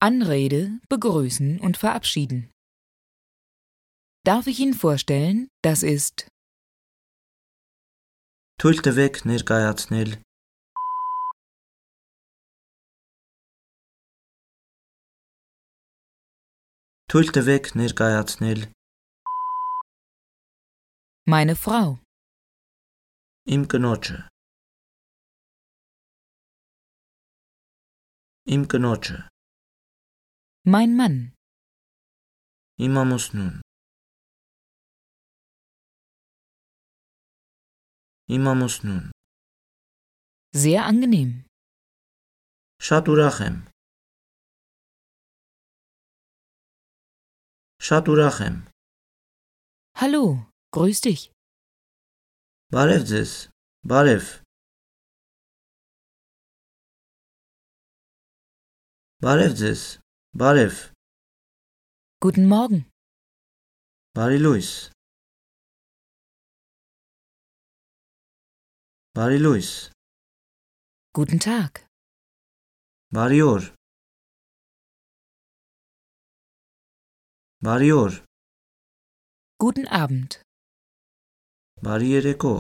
Anrede, begrüßen und verabschieden. Darf ich Ihnen vorstellen, das ist Թույլ տվեք ներկայացնել Թույլ տվեք ներկայացնել meine Frau, Իմ կնոջը Իմ կնոջը mein Mann, Իմ ամուսնուն Իմ ամուսնուն sehr angenehm. Շատ ուրախ եմ Շատ ուրախ եմ Hallo, grüß dich. Բարև ձեզ Բարև Բարև ձեզ Բարև Guten Morgen. Բարի լույս Բարի լույս Guten Tag. Բարի օր Բարի օր Guten Abend. Բարի երեկո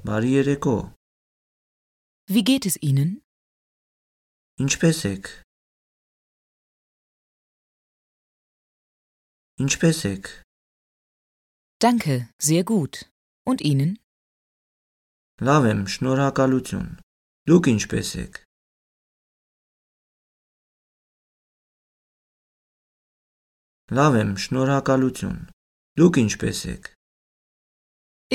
Բարի երեկո Wie geht es Ihnen? Ինչպե՞ս եք Ինչպե՞ս եք Danke, sehr gut. Und Ihnen? Լավ եմ, շնորհակալություն Դուք ինչպե՞ս եք Լավ եմ, շնորհակալություն Դուք ինչպե՞ս եք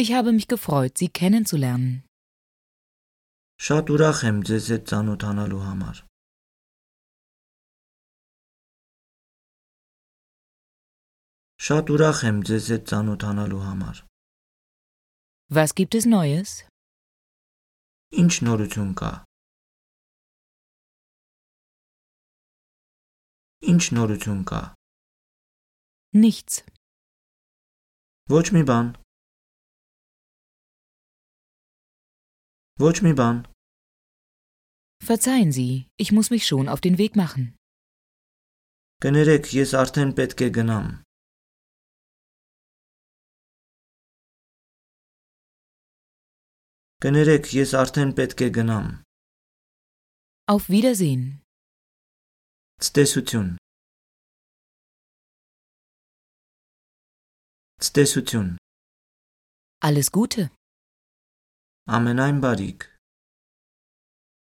Ich habe mich gefreut, Sie kennenzulernen. Շատ ուրախ եմ ձեզ հետ ծանոթանալու համար Շատ ուրախ եմ ձեզ հետ ծանոթանալու համար Was gibt es Neues? Ինչ նորություն կա Ինչ նորություն կա Nichts. Ոչ մի բան Ոչ մի բան Verzeihen Sie, ich muss mich schon auf den Weg machen. Կներեք, ես արդեն պետք է գնամ Կներեք, ես արդեն պետք է գնամ Auf Wiedersehen. Ցտեսություն Ցտեսություն Alles Gute. Ամենայն բարիք